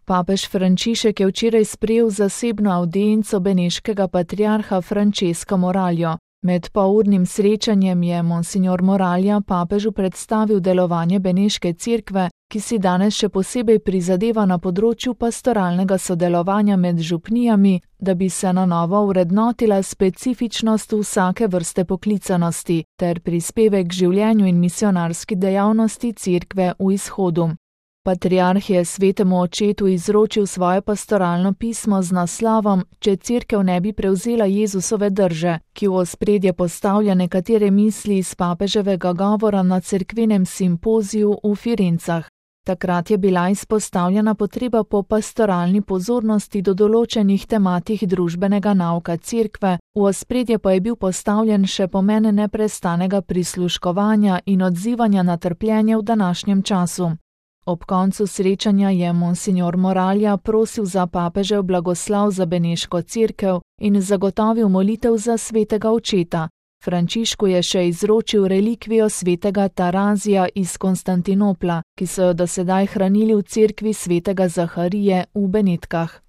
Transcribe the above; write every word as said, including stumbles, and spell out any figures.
Papež Frančišek je včeraj sprejel zasebno avdienco beneškega patriarha Francesca Moraljo. Med polurnim srečanjem je monsignor Moralja papežu predstavil delovanje beneške cerkve, ki si danes še posebej prizadeva na področju pastoralnega sodelovanja med župnijami, da bi se na novo vrednotila specifičnost vsake vrste poklicanosti ter prispevek k življenju in misionarski dejavnosti cerkve v izhodu. Patriarh je svetemu očetu izročil svoje pastoralno pismo z naslovom Če cerkev ne bi prevzela Jezusove drže, ki v ospredje postavlja nekatere misli iz papeževega govora na cerkvenem simpoziju v Firencah. Takrat je bila izpostavljena potreba po pastoralni pozornosti do določenih tematik družbenega nauka cerkve, v ospredje pa je bil postavljen še pomen neprestanega prisluškovanja in odzivanja na trpljenje v današnjem času. Ob koncu srečanja je monsignor Moralja prosil za papežev blagoslov za beneško cerkev in zagotovil molitev za svetega očeta. Frančišku je še izročil relikvijo svetega Tarazija iz Konstantinopla, ki so jo do sedaj hranili v cerkvi svetega Zaharije v Benetkah.